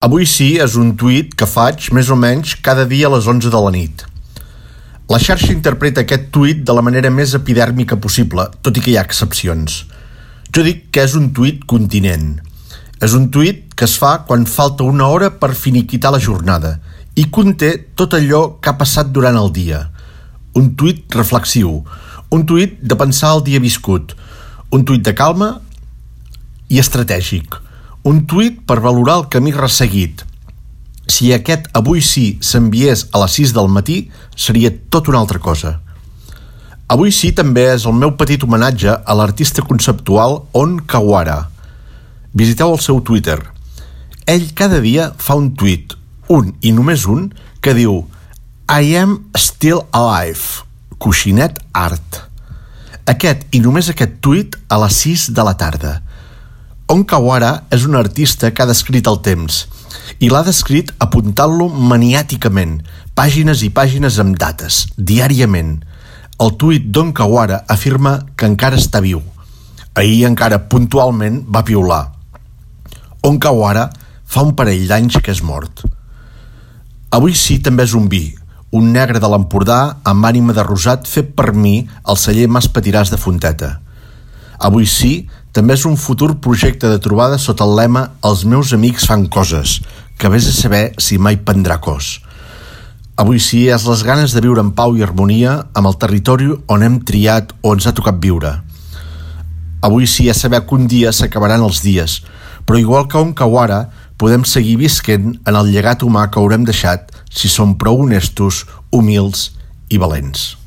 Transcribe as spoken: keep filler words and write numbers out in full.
Avui sí és un tuit que faig més o menys cada dia a les onze de la nit. La xarxa interpreta aquest tuit de la manera més epidèrmica possible, tot i que hi ha excepcions. Jo dic que és un tuit continent. És un tuit que es fa quan falta una hora per finiquitar la jornada i conté tot allò que ha passat durant el dia. Un tuit reflexiu, un tuit de pensar el dia viscut, un tuit de calma i estratègic, un tuit per valorar el camí resseguit. Si aquest avui sí s'enviés a les sis del matí, seria tot una altra cosa. Avui sí també és el meu petit homenatge a l'artista conceptual On Kawara. Visiteu el seu Twitter. Ell cada dia fa un tuit, un i només un, que diu I am still alive, coixinet art. Aquest i només aquest tuit a les sis de la tarda. On Kawara és un artista que ha descrit el temps i l'ha descrit apuntant-lo maniàticament, pàgines i pàgines amb dates, diàriament. El tuit d'On Kawara afirma que encara està viu. Ahir encara puntualment va piular. On Kawara fa un parell d'anys que és mort. Avui sí també és un vi, un negre de l'Empordà amb ànima de rosat fet per mi al celler Mas Patiràs de Fonteta. Avui sí també és un futur projecte de trobada sota el lema Els meus amics fan coses, que vés a saber si mai prendrà cos. Avui sí és les ganes de viure en pau i harmonia amb el territori on hem triat o ens ha tocat viure. Avui sí és saber que un dia s'acabaran els dies, però igual que On Kawara podem seguir visquent en el llegat humà que haurem deixat si som prou honestos, humils i valents.